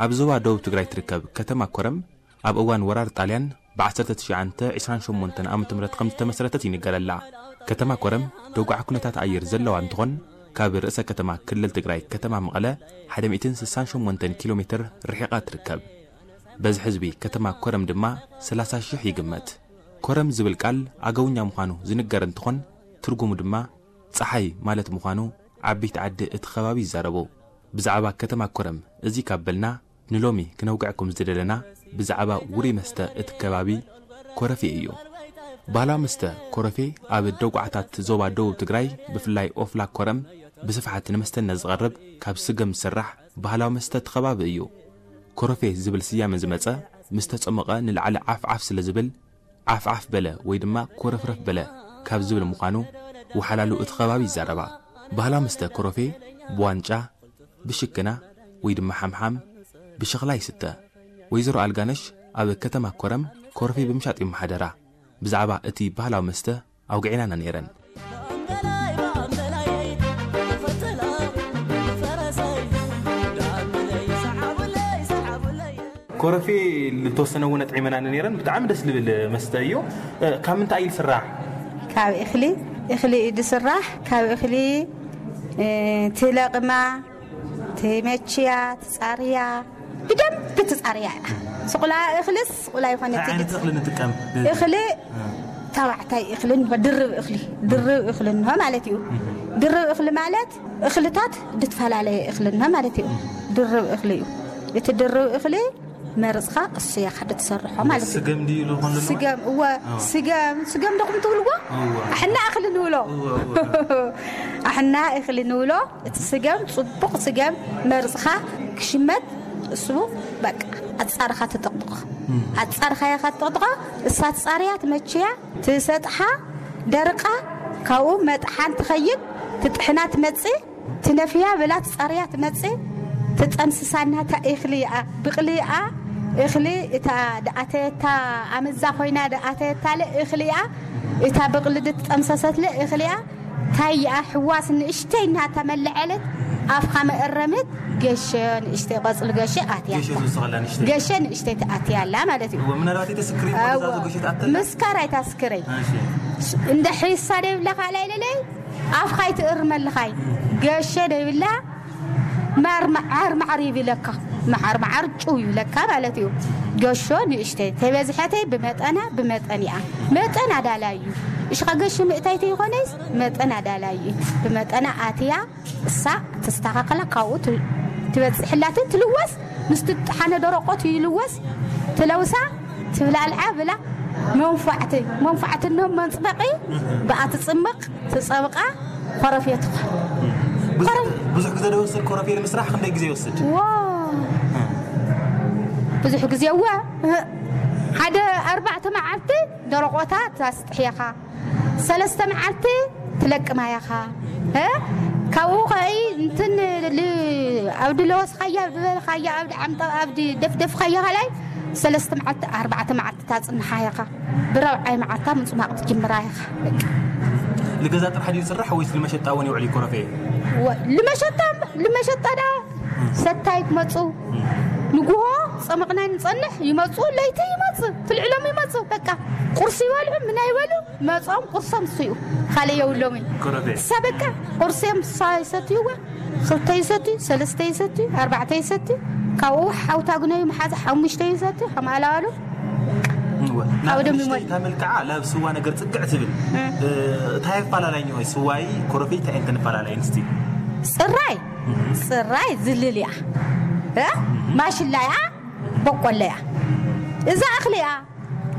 ኣብ ዞባ ደቡብ ትግራይ ትርከብ ከተማ ኮረም ኣብ እዋን ወራር ጣልያን ብ ዓሰርተ ትሽዓተ ዕስራን ሸሞንተን ዓመተ ምህረት ከም ዝተመስረተት ይንገረላ። ከተማ ኮረም ደጉዓ ኩነታት ኣየር ዘለዋ እንትኾን፣ ካብ ርእሰ ከተማ ክልል ትግራይ ከተማ መቐለ ሓደ ሚእትን ስሳን ሸሞንተን ኪሎ ሜትር ርሒቓ ትርከብ። በዝሒ ህዝቢ ከተማ ኮረም ድማ ሰላሳ ሺሕ ይግመት። ኮረም ዝብል ቃል ኣገውኛ ምዃኑ ዝንገር እንትኾን፣ ትርጉሙ ድማ ጸሓይ ማለት ምዃኑ ዓበይቲ ዓዲ እቲ ከባቢ ይዛረቡ። ብዛዕባ ከተማ ኮረም እዚ ካብ በልና፣ ንሎሚ ክነውግዐኩም ዝደለና ብዛዕባ ውሩይ መስተ እቲ ከባቢ ኮረፌ እዩ። ባህላዊ መስተ ኮረፌ ኣብ ደጉዓታት ዞባ ደቡብ ትግራይ፣ ብፍላይ ኦፍላ ኮረም፣ ብስፍሓት ንመስተነት ዝቐርብ ካብ ስገም ዝስራሕ ባህላዊ መስተ እቲ ከባቢ እዩ። ኮረፌ ዝብል ስያመ ዝመጸ፣ ምስ ተጸሞቐ ንላዕሊ ዓፍዓፍ ስለ ዝብል፣ ዓፍዓፍ በለ ወይ ድማ ኮረፍረፍ በለ ካብ ዝብል ምዃኑ ወሓላሉ እቲ ከባቢ ይዛረባ። ባህላዊ መስተ ኮረፌ ብዋንጫ፣ ብሽክና ወይ ድማ ሓምሓም፣ ብሸኽላ ይስተ። ወይዘሮ ኣልጋነሽ ኣብ ከተማ ኮረም ኮረፌ ብምሻጥ ይመሓደራ። ብዛዕባ እቲ ባህላዊ መስተ ኣውግዒናና ነይረን። ኮረፌ ልተወሰነ እውን ኣጥዒመናኒ ነይረን። ብጣዕሚ ደስ ልብል መስተ እዩ። እ፣ ካብ ምንታይ እዩ ዝስራሕ? ካብ እኽሊ፣ እኽሊ እዩ ዝስራሕ። ካብ እኽሊ፣ እ፣ ትለቕማ፣ ትመችያ፣ ትጻርያ፣ ብደንብ ትጻርያ እያ። ስቑላ እኽልስ ስቑላ ይኾነ እንታይ ዓይነት ትግት። እኽሊ ንጥቀም? እኽሊ እ። ተባዕታይ እኽሊ እንሆ፣ ድርብ እኽሊ፣ ድርብ እኽሊ እንሆ ማለት እዩ። ድርብ እኽሊ ማለት እኽልታት ድትፈላለየ እኽሊ እንሆ ማለት እዩ። ድርብ እኽሊ እዩ። እቲ ድርብ እኽሊ መርጽኻ እሱ እያ ካደ ትሰርሖ ማለት እዩ። ስገም ድዩ ኢሉ ኾን ኣለዎ? ስገም፣ እወ፣ እወ። ስገም፣ ስገም ዶኹም ትብልዎ? እወ። ኣሕና እኽሊ ንብሎ። እወ፣ እወ። ኣሕና እኽሊ ንብሎ። እቲ ስገም፣ ጽቡቕ ስገም መርጽኻ ክሽመት እሱ በቃ ኣጻርኻ ትጥቕጥቖ። እም። ኣጻርኻ ኢኻ ትጥቕጥቖ፣ እሳ ትጻርያ፣ ትመችያ፣ ትሰጥሓ፣ ደርቃ፣ ካብኡ መጥሓን ትኸይድ፣ ትጥሕና ትመጽእ፣ ትነፍያ ብላ ትጻርያ ትመጽእ፣ ትጠንስሳ እናታ እኽሊ እያ፣ ብቕሊ እያ፣ እኽሊ እታ ደኣተየታ ኣመዛ ኮይና ደኣተየታለ እኽሊ እያ፣ እታ ብቕሊ ድትጠምሰሰትለ እኽሊ እያ፣ ታያ ሕዋስ ንእሽተይ እናታ መለዐለት፣ ኣፍኻ መእረምት፣ ገሸ ንእሽተይ፣ ቆጽሊ ገሸ ኣትያ። ገሸ ዝወሰኸላ ንእሽተይ። ገሸ ንእሽተይ ትኣትያ ኣላ ማለት እዩ። እወ፣ ምናልባት ኣይተስክሪ፣ እወ፣ ወደዛ ገሸ ትኣተላ? ምስካር ኣይታስክረይ። እሺ። እንደ ሒሳ ደይብላ ካልኣይ ለለይ፣ ኣፍኻ ኣይትእርመልኻይ። ገሸ ደይብላ፣ ማር መዓር መዓር ይብለካ። መዓር መዓር ጭው ይብለካ ማለት እዩ። ገሾ ንእሽተይ፣ ተበዝሐተይ ብመጠና፣ ብመጠን እያ። መጠን ኣዳላይ እዩ። እሽኻ ገሾ ምእታይ ተይኾነይስ መጠን ኣዳላይ እዩ። ብመጠና ኣትያ፣ እሳ ተስተኻኸላ፣ ካብኡ ት-፣ ትበጽሕላትን ትልወስ፣ ምስ ትጥሓነ ደረቆት ይልወስ፣ ትለውሳ፣ ትብላልዓ ብላ፣ መንፋዕቲ፣ መንፋዕቲ እንሆ መንጽበቂ፣ ብኣ ትጽምቕ፣ ትጸብቓ፣ ኮረፌ ትኾን። ብዙሕ፣ ኮረፌ ብዙሕ ግዜ ዶ ይወስድ ኮረፌ ንምስራሕ? ክንደይ ግዜ ይወስድ? ዎ፣ ብዙሕ ግዜ እወ። ሓደ ኣርባዕተ መዓልቲ ደረቆታ ታስጥሕየኻ። ሰለስተ መዓልቲ ትለቅማ ኢኻ። እ? ካብኡ ኸኢ እንትን ል-፣ ኣብዲ ለወስኻያ፣ ኣብዲ በልኻያ፣ ኣብዲ ዓምጠ-፣ ኣብዲ ደፍደፍኻያ ኸላይ ሰለስተ መዓልቲ፣ ኣርባዕተ መዓልቲ ታጽንሓ ኢኻ። ብራብዓይ መዓልታ ምጽማቕ ትጅምራ ኢኻ። በቃ። ንገዛ ጥራሕ ድዩ ዝስራሕ ወይስ ንመሸጣ እውን ይውዕል እዩ ኮረፌ? ወ-፣ ንመሸጣ፣ ንመሸጣ ዳ ሰታይ ትመጹ። ንጉሆ ጸመቕና ንጸንሕ፣ ይመጹ፣ ለይቲ ይመጽ፣ ትልዕሎም ይመጹ። በቃ ቁርሲ ይበልዑ፣ ምና ይበሉ፣ መጾም ቁርሶም እሱ እዩ። ካልእ የብሎም እዩ። ኮረፌ። እሳ በቃ ቁርሶም እሳ ይሰትይዋ፣ ክልተ ይሰትዩ፣ ሰለስተ ይሰትዩ፣ ኣርባዕተ ይሰትዩ፣ ካብኡ ሓውታ ግነዩ መሓዛ ሓሙሽተ ይሰትዩ፣ ከም ኣላዋሉ እወ። ናብ ካብኡ ደም ንእሽተይ ይሞት። እታ መልክዓ ናብ ስዋ ነገር ጽግዕ ትብል። እ። እ፣ እንታይ ኣፈላላይን ወይ ስዋይ ኮረፌ እንታይ እንተን ኣፈላላይን እስቲ? ጽራይ፣ እህ። ጽራይ ዝልል እያ። እ? እህ። ማሽላ እያ፣ በቆሎ እያ። እዛ እኽሊ እያ።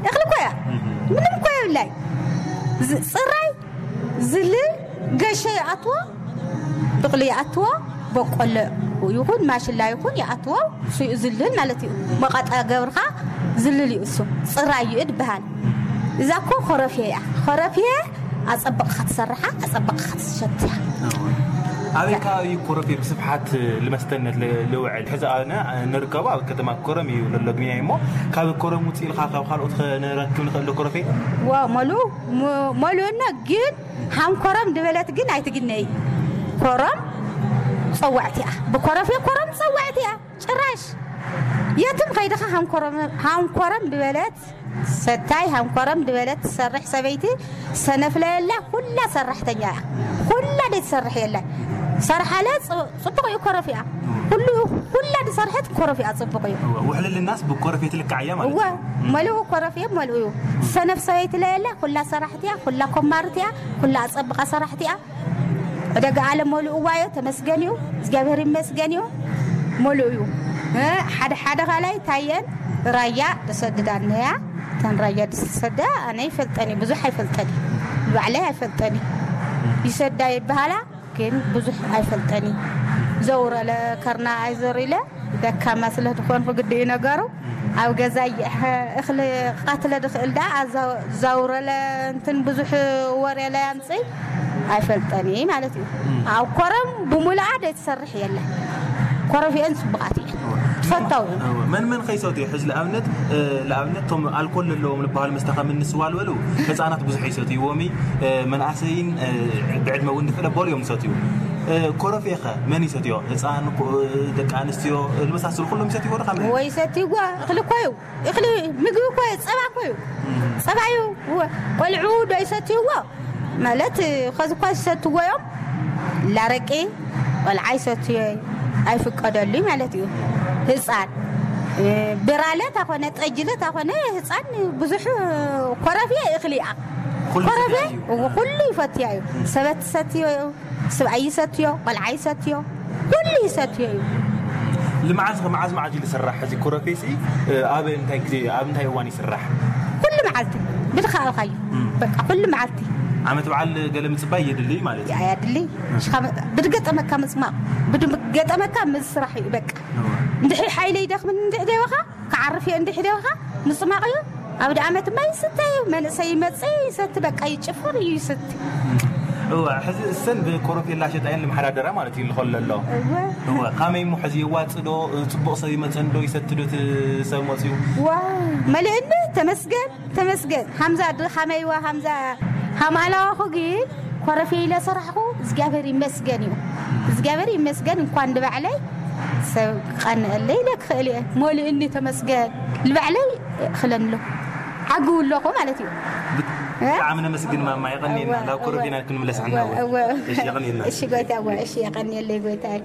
እኽሊ እኮ እያ። እህ። ምንም እኮ የብላይ። ዝ-፣ ጽራይ ዝልል ገሸ ይኣትዎ፣ ብቕሊ ይኣትዎ፣ በቆሎ ይኹን ማሽላ ይኹን ይኣትዎ፣ እሱ እዩ ዝልል ማለት እዩ። መቐጣ ገብርኻ ዝልል እዩ እሱ። ጽራይ እዩ ድበሃል። እዛ እኮ ኮረፌ እያ። ኮረፌ ኣጸብቕኻ ትሰርሓ፣ ኣጸብቕኻ ትሸትያ። እወ። ኣበይ ከባቢ ኮረፌ ብስፍሓት ልመስተነት ል- ልውዕል? ሕዚ ኣነ ንርከቦ ኣብ ከተማ ኮረም እዩ ዘሎ ግንያይ እሞ፣ ካብ ኮረም ውፅእ ኢልካ ካብ ካልኦት ከ ንረክብ ንኽእል ዶ ኮረፌ? ዋ መሉ መሉእና ግን ሃም ኮረም ድበለት ግን ኣይትግነይ። ኮረም ፀዋዕቲ እያ። ብኮረፌ ኮረም ፀዋዕቲ እያ። ጭራሽ የትም ከይድኻ ሃንኮረም ድበለት ሰታይ ሃንኮረም ድበለት ትሰርሕ ሰበይቲ ሰነፍለ የላ። ኩላ ሰራሕተኛ እያ። ኩላ ደይ ትሰርሕ የላ። ሰርሓለ ጽ- ጽቡቕ እዩ። ኮረፍ እያ። ኩሉ ኩላ ዝሰርሐት ኮረፍ እያ። ጽቡቕ እዩ። ውሕልልናስ ብኮረፌ ትልካዕ እያ ማለት እወ እዩ። መልኡ ኮረፍ እየ። መልኡ እዩ። ሰነፍ ሰበይቲ ለየላ። ኩላ ሰራሕቲ እያ። ኩላ ኮማርት እያ። ኩላ ኣጸብቓ ሰራሕቲ እያ። ዕደጋ ዓለም መሉእዋ እዩ። ተመስገን እዩ። እግዚኣብሔር ይመስገን እዩ። መሉእ እዩ። እ፣ ሓደ ሓደ ካልኣይ ታየን ራያ ተሰድዳነያ። ተን ራያ ዝሰዳ ኣነ ይፈልጠን እዩ። ብዙሕ ኣይፈልጠን እዩ። ባዕለይ ኣይፈልጠን እዩ። ይሰዳ ይበሃላ ግን ብዙሕ ኣይፈልጠን እዩ። ዘውረለ ከርና ኣይዘር ኢለ ደካማ ስለ ዝኾንኩ ግዲ እዩ ነገሩ። ኣብ ገዛ እየ እኽሊ ቃትለ ድኽእል ዳ ዘውረለ እንትን ብዙሕ ወሬ ለያምፅእ ኣይፈልጠን እየ ማለት እዩ። ኣብ ኮረም ብሙሉኣ ደይ ትሰርሕ የለን። ኮረፊአን ፅቡቃት እየን። ትፈታው እየን። እወ፣ መን መን ከይሰትዩ? ሕዚ ንኣብነት እ፣ ንኣብነት እቶም ኣልኮል ዘለዎም ዝበሃሉ መስተ ከም እንስዋ ዝበሉ ህፃናት ብዙሕ ይሰትይዎም እዩ። እ፣ መናእሰይን እ፣ ብዕድመ እውን ድፍለ በሉ እዮም ዝሰትዩ። እ፣ ኮረፌ ኸ መን ይሰትዮ? ህፃን፣ ኮ- ደቂ ኣንስትዮ ዝመሳሰሉ ኩሎም ይሰትይዎ ዶ? ካብ ወይ ሰትይዋ እኽሊ እኮ እዩ። እኽሊ ምግቢ እኮ እዩ። ፀባ እኮ እዩ። ፀባ እዩ። ወ- ቆልዑ ዶ ይሰትይዎ? ማለት ኸዚ እኳ ዝሰትዎ እዮም። ላረቂ ቆልዓ ይሰትዮ ኣይፍቀደሉ ማለት እዩ። ህፃን እ፣ ብራለ ታኾነ ጠጅለ ታኾነ ህፃን ብዙሕ ኮረፊ እኽሊ እያ። ኩሉ ኮረፊ ይፈትያ እዩ። ኩሉ ይፈትያ እዩ። ሰበት ሰትዮ እዩ። ስብኣይ ይሰትዮ፣ ቆልዓ ይሰትዮ፣ ኩሉ ይሰትዮ እዩ። ልምዓት ከ መዓዝ መዓዝ እዩ ዝስራሕ? እዚ ኮረፌ ሲ ኣብ እንታይ ግዜ ኣብ እንታይ እዋን ይስራሕ? ኩሉ መዓልቲ ብድኻልካዩ በቃ ኩሉ መዓልቲ ዓመት በዓል ገለ ምፅባይ የድልይ ማለት እዩ። ኣያድሊ ብድገጠመካ ምፅማቕ ብድገጠመካ ምስራሕ እዩ በቃ። እንድሕር ሓይለ ይደኽምን እንድሕ ደበኻ ክዓርፍ እየ እንድሕ ደበኻ ምፅማቕ እዩ። ኣብ ደኣመት ማ ይስተ እዩ መንእሰይ ይመፅእ ይሰቲ በቃ ይጭፍር እዩ ይሰቲ። እዋ ሕዚ እሰን ብኮረፌላ ሸጣየን ልመሓዳደራ ማለት እዩ ልኾል ኣሎ። እወ እዋ ካመይ እሞ ሕዚ የዋፅእ ዶ? ፅቡቕ ሰብ ይመፀን ዶ ይሰቲ ዶ? እቲ ሰብ መፅዩ ዋ መልእኒ ተመስገን ተመስገን ሃምዛ ድ ሃመይዋ ሃምዛ ሃማላዋኹ ግን ኮረፌ ኢለ ሰራሕኹ እግዚኣብሔር ይመስገን እዩ። እግዚኣብሔር ይመስገን እንኳን ንባዕለይ ሰብ ቀንአለይ ኢለ ክኽእል እየ። ሞልእኒ ተመስገን ንባዕለይ እኽለንሎ ዓግው ኣለኹ ማለት እዩ። ብጣዕሚ ነመስግን ማማ። የቐንየና። ናብ ኮረፌና ክንምለስ ሓና። እወ። እሺ የቐንየና። እሺ ጎይታ እወ እሺ የቐንየለይ ጎይታይ።